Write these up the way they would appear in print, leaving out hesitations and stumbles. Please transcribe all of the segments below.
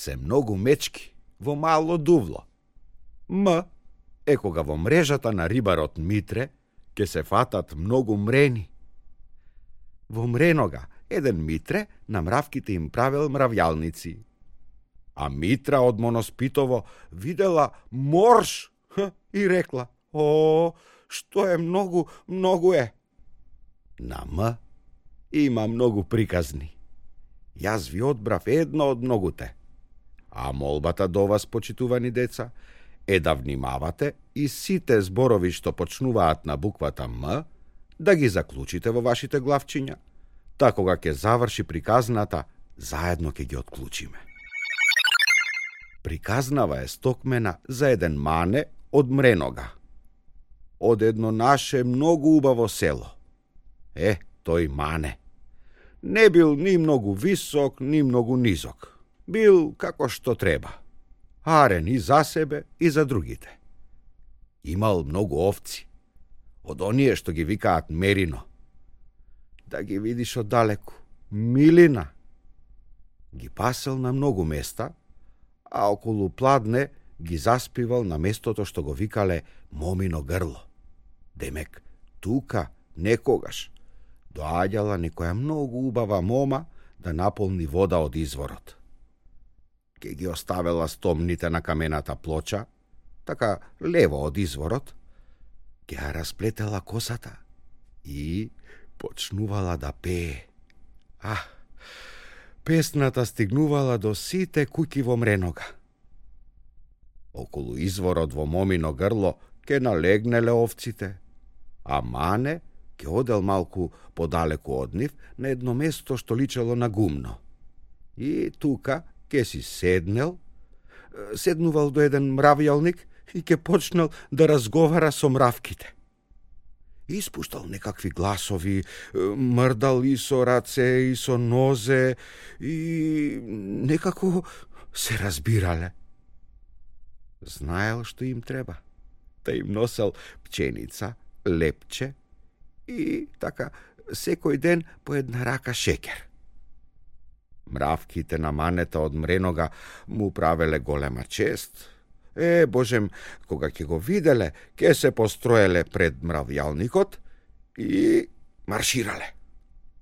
се многу мечки во мало дувло. М е кога во мрежата на рибарот Митре ќе се фатат многу мрени. Во мренога еден Митре на мравките им правел мравјалници. А Митра од Моноспитово видела морш и рекла: "О, што е многу, многу е." На М има многу приказни. Јас ви одбрав една од многуте. А молбата до вас, почитувани деца, е да внимавате и сите зборови што почнуваат на буквата М, да ги заклучите во вашите главчиња, та кога ќе заврши приказната, заедно ќе ги отклучиме. Приказнава е стокмена за еден мане од Мренога, од едно наше многу убаво село. Тој мане не бил ни многу висок, ни многу низок. Бил како што треба. Арен и за себе, и за другите. Имал многу овци, од оние што ги викаат мерино. Да ги видиш оддалеку, милина. Ги пасел на многу места, а околу Пладне ги заспивал на местото што го викале Момино грло. Демек, тука, некогаш, доаѓала некоја многу убава мома да наполни вода од изворот. Ке ги оставела стомните на камената плоча, така лево од изворот, ке ја расплетела косата и почнувала да пее. Песната стигнувала до сите куќи во Мренога. Околу изворот во Момино грло ке налегнеле овците, а Мане ке одел малку подалеку од нив на едно место што личело на гумно. И тука ке си седнувал до еден мравјалник и ке почнал да разговара со мравките. Испуштал некакви гласови, мрдал и со раце, и со нозе, и некако се разбирале. Знаел што им треба, та им носел пченица, лепче и така секој ден по една рака шеќер. Мравките на манета од Мренога му правеле голема чест. Божем, кога ќе го виделе, ќе се построеле пред мравјалникот и марширале.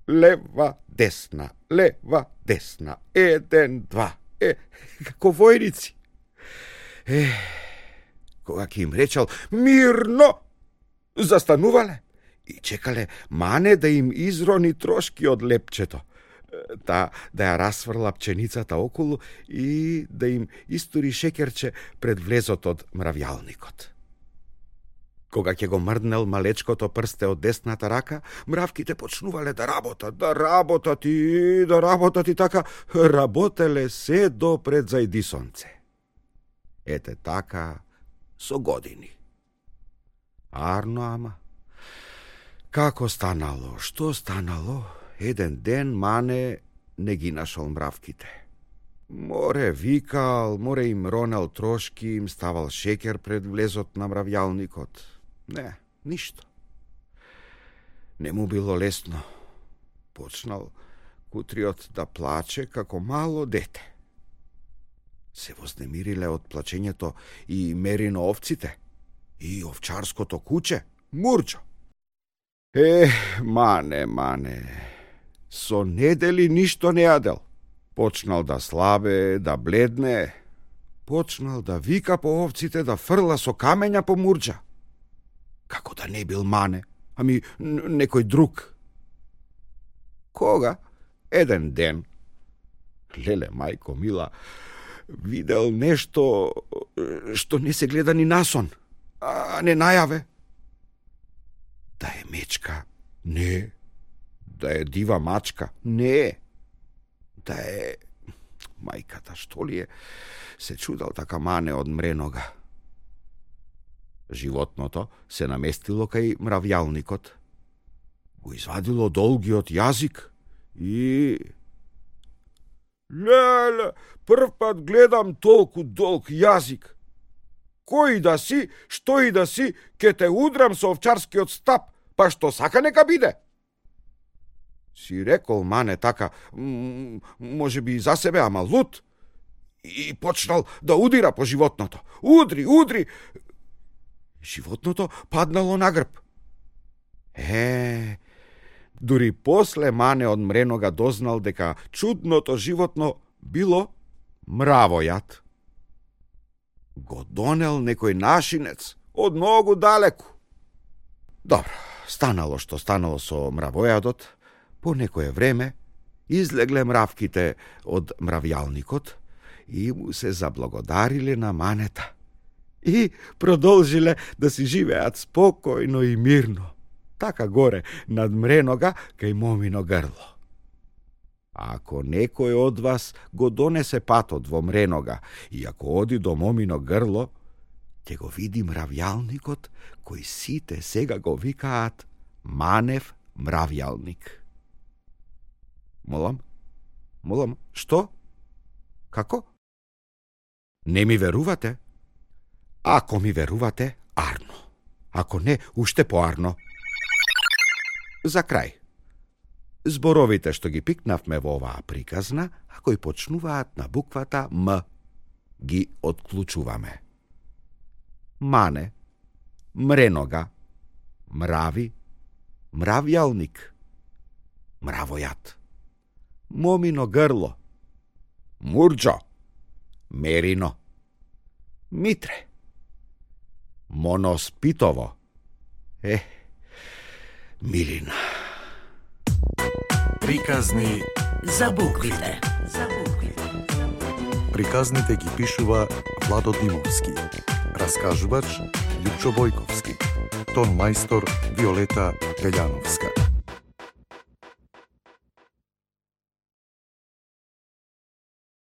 Лева, десна, 1, 2, како војници. Кога ќе им речал мирно, застанувале и чекале Мане да им изрони трошки од лепчето, да ја расфрла пченицата околу и да им истури шеќерче пред влезот од мравјалникот. Кога ќе го мрднел малечкото прсте од десната рака, мравките почнувале да работат и така работеле се до пред зајди сонце. Ете така со години. Арно, ама како станало, што станало? Еден ден Мане не ги нашол мравките. Море викал, море им ронел трошки, им ставал шеќер пред влезот на мравјалникот. Не, ништо. Не му било лесно. Почнал кутриот да плаче како мало дете. Се вознемириле од плачењето и мерино овците, и овчарското куче, Мурџо. Мане, со недели ништо не јадел. Почнал да слабе, да бледне. Почнал да вика по овците, да фрла со камења по Мурџа. Како да не бил Мане, ами некој друг. Кога? Еден ден, леле мајко мила, видел нешто што не се гледа ни насон, а не најаве. Да е мечка? Не. Да е дива мачка? Не. Да е... Мајката, што ли е? Се чудал така Мане од Мренога. Животното се наместило кај мравјалникот. Го извадило долгиот јазик и... Леле, прв пат гледам толку долг јазик. Кој да си, што и да си, ке те удрам со овчарскиот стап, па што сака нека биде. Си рекол Мане така, може би за себе, ама лут. и почнал да удира по животното. Удри! Животното паднало на грб. Дури после Мане од мренога дознал дека чудното животно било мравојат. Го донел некој нашинец од многу далеку. Добро, станало што станало со мравојадот, по некое време излегле мравките од мравјалникот и му се заблагодариле на Манета и продолжиле да си живеат спокојно и мирно, така горе над мренога кај момино грло. Ако некој од вас го донесе патот во мренога и ако оди до момино грло, ќе го види мравјалникот кој сите сега го викаат Манев мравјалник. Молам, што? Како? Не ми верувате? Ако ми верувате, арно. Ако не, уште поарно. За крај. Зборовите што ги пикнавме во оваа приказна, а кои почнуваат на буквата М, ги отклучуваме. Мане, мренога, мрави, мравјалник, мравојат, момино грло, мурџо, мерино, митре, моноспитово, милина. Приказни за буквите. Приказните ги пишува Владо Димовски. Раскажувач Лјупчо Бојковски. Тон мајстор Виолета Велјановска.